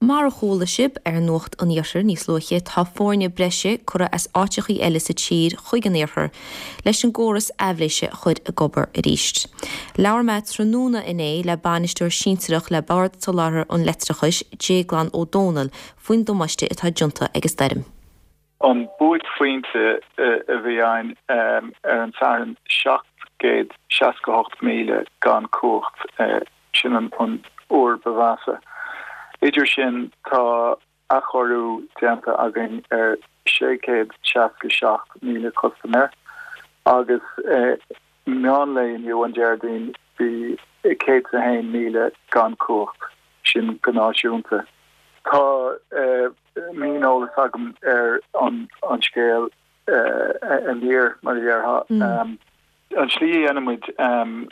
Mar a chuala sibh ar Nuacht an Iarthair níos luaithe, tá foirne breise curtha as áiteachaí eile sa tír chuig an iarthar leis an gcóras aibhléise a chur ag obair arís. Labhair mé tráthnóna inné le bainisteoir sinsearach le Bord Soláthair an Leictreachais, Déaglán Ó Dónaill, faoin damáiste atá déanta ag an stoirm. An buaicphointe a bhí ann ar an Satharn, 768,000 gan cumhacht, sin an uair ba mheasa. Idir sin, tá athchóiriú déanta againn ar 667,000 custaiméir agus meánlae inniu, an Déardaoin, bhí 101,000 gan cumhacht, sin go náisiúnta. Tá. Mioneolas agam ar an scéal aniar, mar a déarfá. An tslí a dhéanaimid,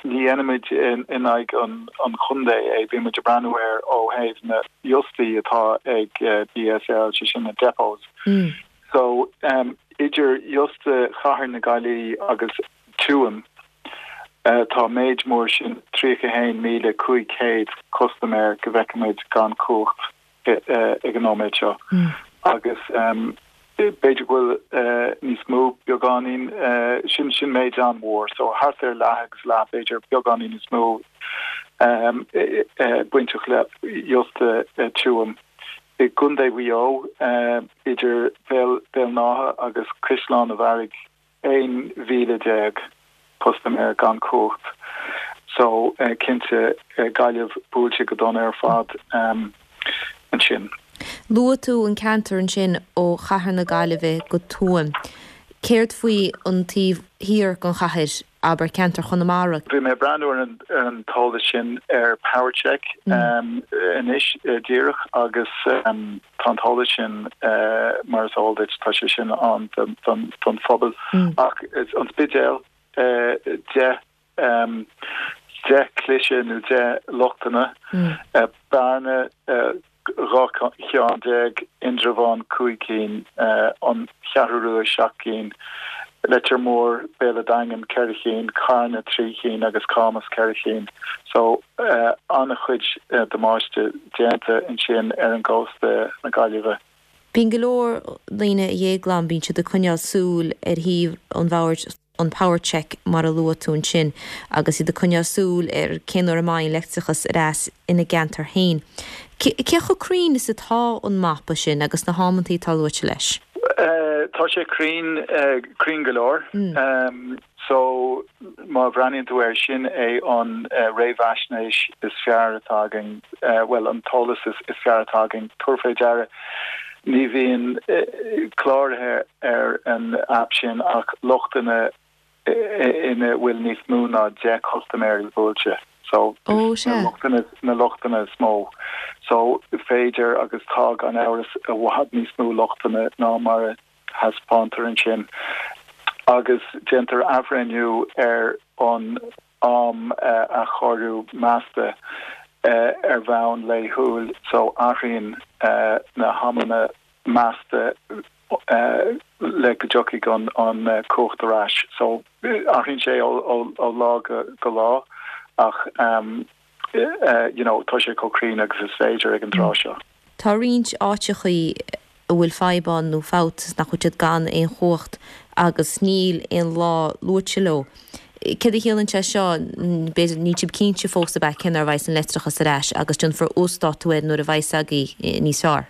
ní dhéanaimid in aghaidh an chontae é, bíonn muid ag breathnú air ó thaobh na iostaí atá ag BSL, sé sin na depots. So, idir iosta Chathair na Gaillimhe agus Tuaim, tá méid mór sin, 31,500 custaiméir go bhfeicimid gan cumhacht. ag an nóiméad seo agus b'fhéidir go bhfuil níos mó beagáinín, sin sin méid an-mhór, so thart ar leath agus leath b'fhéidir, beagáinín níos mó bainteach le iosta Tuaim. I gContae Mhaigh Eo, idir Béal an Átha agus Caisleán an Bharraigh, 11,000 custaiméir gan cumhacht so cinnte Gaillimh buailte go dona ar fad ansin. Luaigh tú an ceantar ansin ó chathair na Gaillimhe go Tuaim. Céard faoi an taobh thiar den chathair, abair ceantar Chonamara? Bhí mé ag breathnú ar an t-eolas sin ar PowerCheck anois díreach agus. Tá an t-eolas sin, mar is eol duit, tá sé sin ann don phobal. Ach an Spidéal, 10, 10 cliseadh nó 10 lochtanna, Bearna, 12 cheann, Indreabhán, 5 cinn, An Cheathrú Rua, 7 gcinn, Leitir Móir, Béal an Daingin, 4 chinn, Carna, 3 chinn agus Camas, 4 chinn. So, an-chuid damáiste déanta ansin ar an gcósta na Gaillimhe. Bíonn go leor daoine, a Dhéagláin, bíonn siad ag coinneáil súil ar shuíomh an Bhoird, an PowerCheck mar a luaigh tú ansin, agus iad ag coinneáil súil ar cén uair a mbeidh an leictreachas ar ais ina gceantar féin. Cé chomh cruinn is atá an mapa sin agus na hamantaí atá luaite leis? Tá sé cruinn, cruinn go leor. So, má bhreathnaíonn tú air, sin é an réamhaisnéis is fearr atá againn, bhuel, an t-eolas is fearr atá againn. Tabhair fé deara, ní bhíonn cláraithe ar an aip sin ach lochtanna ina bhfuil níos mó ná 10 custaiméirí buailte. So, na na lochtanna is mó. So, féidir agus tá gan amhras i bhfad níos mó lochtanna ná mar a thaispeántar ansin agus déantar athbhreithniú ar an am athchóiriú measta ar bhonn laethúil so athraíonn na hamanna measta le go dtiocfaidh an cumhacht ar ais. So athraíonn sé ó lá go lá ach you know tá sé chomh cruinn agus is féidir ag an tráth seo. Tá roinnt áiteachaí a bhfuil fadhb ann nó fabht is nach bhfuil siad gan aon chumhacht agus níl aon lá luaite leo. Céard a chiallaíonn sé seo? B'fhéidir, níl sibh cinnte fós ab ea cén uair a bheidhs an leictreachas ar ais agus déanfar uasdátú air nuair a bheidhs agaibh níos fearr.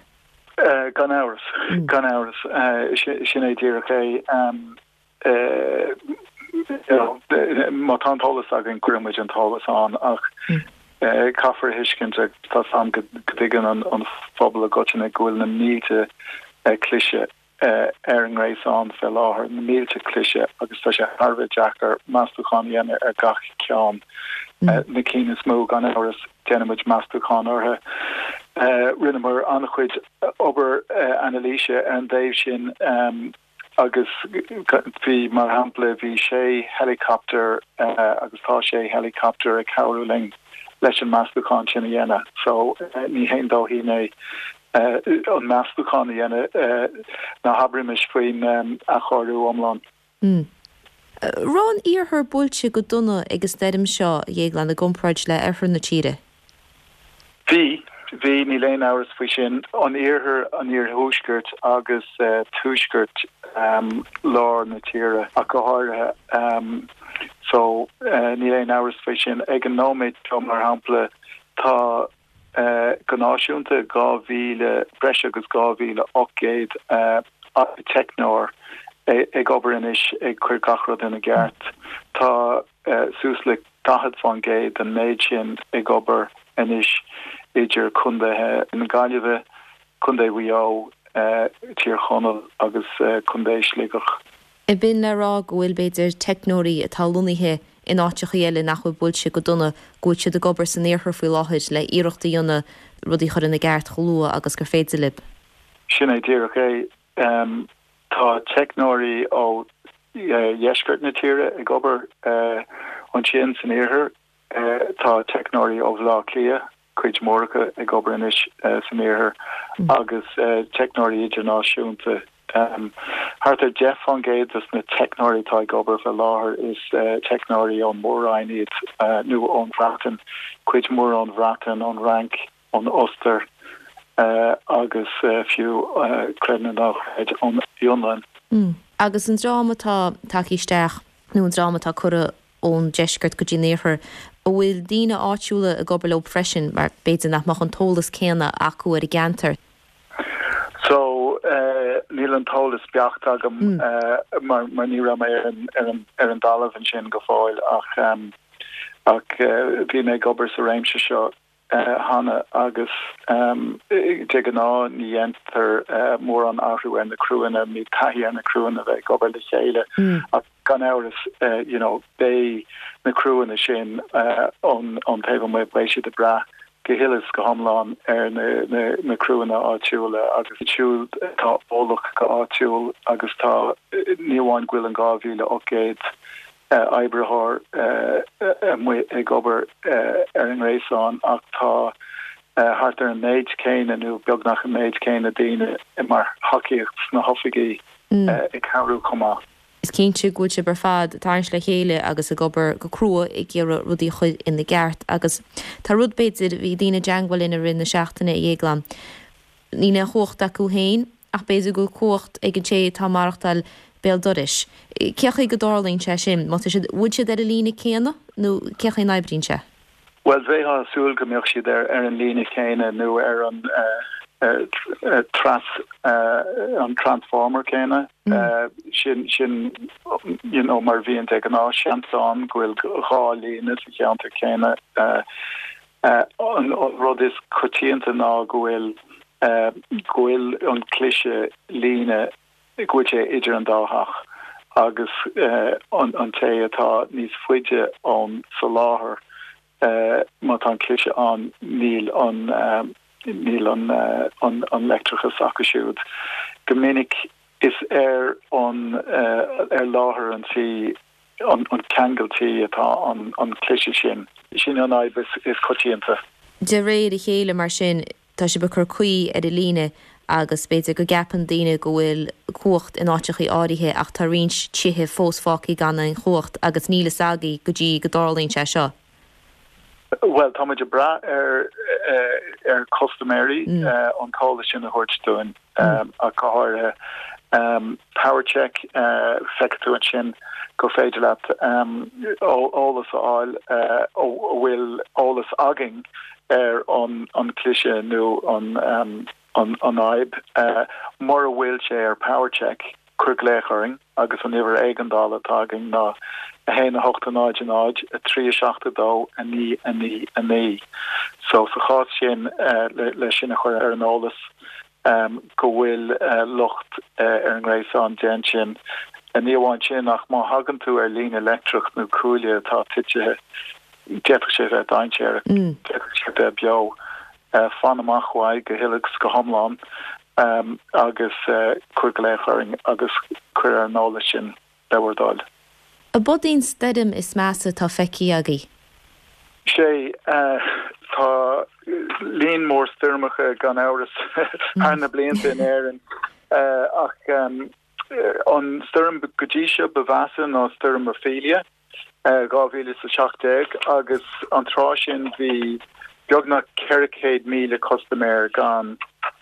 Gan amhras, gan amhras. Sin é díreach é. Má tá an t-eolas againn, cuireann muid an t-eolas ann ach caithfear a thuiscint agus tá 's a'm go dtuigeann an phobal i gcoitinne go bhfuil na mílte cliseadh ar an ngréasán fé láthair, na mílte cliseadh agus tá sé thar a bheith deacair meastúchán a dhéanamh ar gach ceann. Na cinn is mó, gan amhras, déanann muid meastúchán orthu. Rinneamar an-chuid obair anailíse ar an dtaobh sin. Agus bhí, mar shampla, bhí sé helicopter agus tá sé helicopter ag cabhrú linn leis an meastúchán sin a dhéanamh. So ní haon dóithín é an meastúchán a dhéanamh, ná habraimis faoin athchóiriú iomlán. Raibh an iarthar buailte go dona ag an stoirm seo, a Dhéagláin, i gcomparáid le oirthear na tíre? Bhí. Bhí, níl aon amhras faoi sin. An iarthar, an iarthuaiscirt agus tuaisceart lár na tíre ach go háirithe. So, níl aon amhras faoi sin. Ag an nóiméad seo, mar shampla, tá go náisiúnta 2,000, breis agus 2,800 teicneoir ag obair anois ag cur gach rud ina gceart. Tá suas le 40% den méid sin ag obair anois idir contaetha na Gaillimhe, Contae Mhaigh Eo, Tír Chonaill agus Contae Shligeach. An b'in le rá go bhfuil, b'fhéidir, teicneoirí atá lonnaithe in áiteachaí eile nach bhfuil buailte go dona, go bhfuil siad ag obair san iarthar faoi láthair le iarracht a dhéanamh rudaí a chur ina gceart chomh luath agus gur féidir libh? Sin é díreach é. Tá teicneoirí ó dheisceart na tíre ag obair ansin san iarthar. Tá teicneoirí ó Bhaile Átha Cliath, cuid mhór acu, ag obair anois san iarthar agus teicneoirí idirnáisiúnta. Thart ar 10 fán gcéad de na teicneoirí atá ag obair faoi láthair is teicneoirí ón Mór-Roinn iad nó ón Bhreatain, cuid mhór ón Bhreatain, ón Fhrainc, ón Ostair agus fiú, creid nó ná creid, ón Fhionlainn. Agus an dream atá tagtha isteach, nó an dream atá curtha ón deisceart go dtí an iarthar, an bhfuil daoine áitiúla ag obair leo freisin, mar b'fhéidir nach mbeadh an t-eolas céanna acu ar an gceantar? So, níl an t-eolas beacht agam mar ní raibh mé ar an dtalamh ansin go fóill ach ach bhí mé ag obair sa réimse seo cheana agus de ghnáth ní dhéantar mórán athrú ar na criúnna, níl taithí ar na criúnna bheith ag obair le chéile ach gan amhras you know beidh na criúnna sin ón taobh amuigh, beidh siad ag brath go huile is go hiomlán ar na criúnna áitiúla agus iad siúd atá eolach go háitiúil agus tá ní amháin go bhfuil an 2,800 oibritheoir amuigh ag obair ar an ngréasán ach tá thart ar an méid céanna nó beagnach an méid céanna daoine mar thacaíocht sna hoifigí ag cabhrú chomh maith. Is cinnte go bhfuil sibh ar fad ag tarraingt le chéile agus ag obair go crua ag iarraidh rudaí a chur ina gceart agus tá rud b'fhéidir, bhí daoine i dteangmháil linn i rith na seachtaine, a Dhéagláin, Níl aon chumhacht acu féin, ach b'fhéidir go bhfuil cumhacht ag an té atá ag maireachtáil béal dorais. Cén chaoi go dtarlaíonn sé sin? Má tá siad, bhfuil siad ar an líne céanna nó cén chaoi a n-oibríonn sé? Bhuel, bheifeá ag súil go mbeadh siad ar an líne chéanna nó ar an tras, an transformer céanna. Sin, sin, you know, mar a bhíonn de ghnáth. Seans ann go bhfuil dhá líne sa cheantar céanna. An rud is coitianta ná go bhfuil go bhfuil an cliseadh líne, go bhfuil sé idir an dá theach agus an té atá níos faide ón soláthar, má tá an cliseadh ann, níl an níl an an leictreachas acu siúd. Go minic is ar an ar láthair an tí an ceangal tí atá an cliseadh sin. Sin an fhadhb is coitianta. De réir a chéile, mar sin, tá sibh ag cur caoi ar an líne agus b'fhéidir go gceapann daoine go bhfuil cumhacht in áiteachaí áirithe ach tá roinnt tithe fós fágtha gan aon chumhacht agus níl fhios agaibh go dtí go dtarlaíonn sé seo. Bhuel, tá muid ag brath ar ar chustaiméirí an t-eolas sin a thabhairt dúinn ach go háirithe. PowerCheck, feicfidh tú ansin gur féidir leat eolas a fháil an bhfuil eolas againn ar an cliseadh nó an fhadhb. Mura bhfuil sé ar PowerCheck, Cuir glaoch orainn agus an uimhir éigeandála atá againn ná 1 8 0 0 3 7 2 9 9 9. So sa chás sin le sinn a chur ar an eolas go bhfuil locht ar an ngréasán, déan sin. Ní amháin sin ach má thagann tú ar líne leictreach nó cuaille atá titithe, d'fhéadfadh sé bheith dainséarach, d'fhéadfadh sé bheith beo. Fan amach uaidh go huile is go hiomlán agus cuir glaoch orainn agus cuir ar an eolas sinn, le bhur dtoil. Ab í an stoirm is measa atá feicthe agaibh? Sea, tá líon mór stoirmeacha gan amhras thar na blianta in Éirinn ach an stoirm go dtí seo ba mheasa ná stoirm Ophelia. 2017 agus an tráth sin bhí beagnach 400,000 custaiméir gan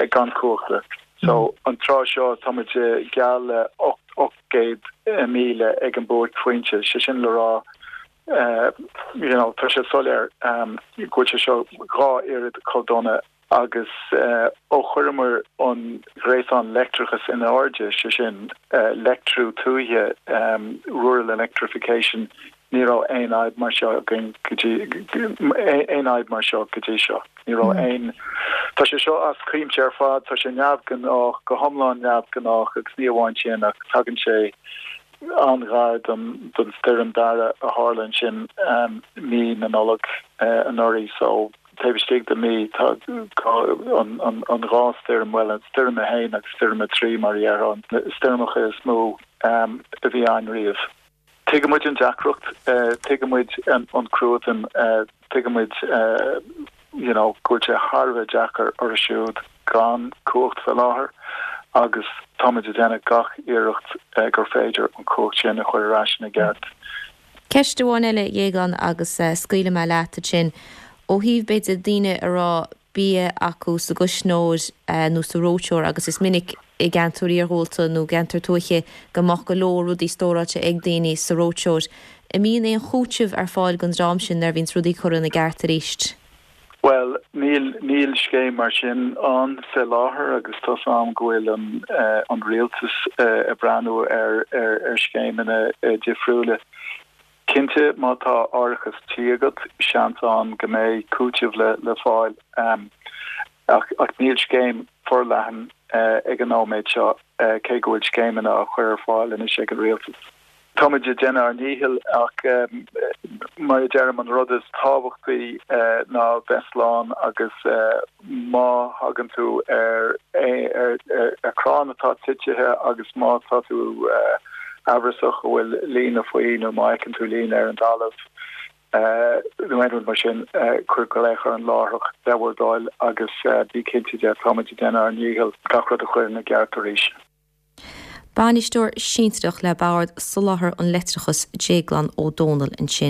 gan cumhachta. So an tráth seo tá muid geall le 800,000 ag an buaicphointe, sé sin le rá you know tá sé soiléir go bhfuil sé seo dhá oiread chomh dona agus ó chuireamar an gréasán leictreachais in airde, sé sin leictriú tuaithe, rural electrification, ní raibh aon fhadhb mar seo againn go dtí, aon fhadhb mar seo go dtí seo. Ní raibh aon, tá sé seo as cuimse ar fad, tá sé neamhghnách, go hiomlán neamhghnách agus ní amháin sin ach tagann sé an-ghar don stoirm Darragh a tharla ansin mí na Nollag anuraidh so taobh istigh de mhí tá an dhá stoirm, bhuel stoirm 1 agus stoirm 3 mar a déarfá, na stoirmeacha is mó a bhí ann riamh. Tuigeann muid an deacracht, tuigeann muid an cruatan, tuigeann muid you know go bhfuil sé thar a bheith deacair orthu siúd gan cumhacht fé láthair agus táimid ag déanamh gach iarracht gur féidir an chumhacht sin a chur ar ais ina gceart. Ceist amháin eile, a Dhéagláin, agus scaoilfidh mé leat ansin. Ó thaobh, b'fhéidir, daoine a raibh bia acu sa gcuisneoir nó sa reoiteoir agus is minic i gceantair iarghúlta nó gceantair tuaithe go mbeadh go leor rudaí stóráilte ag daoine sa reoiteoir. An mbíonn aon chúiteamh ar fáil don dream sin nuair a bhíonns rudaí curtha ina gceart arís? Bhuel, níl, níl scéim mar sin ann fé láthair agus tá's a'm go bhfuil an, an rialtas ag breathnú ar, ar, ar scéimeanna difriúla. Cinnte, má tá árachas tí agat, seans ann go mbeidh cúiteamh le fáil, ach níl scéim forleathan ag an nóiméad seo, cé go bhfuil scéimeanna á chur ar fáil anois ag an rialtas. Táimid ag déanamh ár ndícheall ach, mar a deirim, an rud is tábhachtaí ná bheith slán agus má thagann tú ar chrann atá titithe agus má tá tú amhrasach go bhfuil líne faoi nó má fheiceann tú líne ar an dtalamh nó aon rud mar sin, cuir glaoch orainn láithreach le bhur dtoil agus bí cinnte de, táimid ag déanamh ár ndícheall gach rud a chur ina gceart arís. Bainisteoir Sinsearach le Bord Soláthair an Leictreachais, Déaglán Ó Dónaill ansin.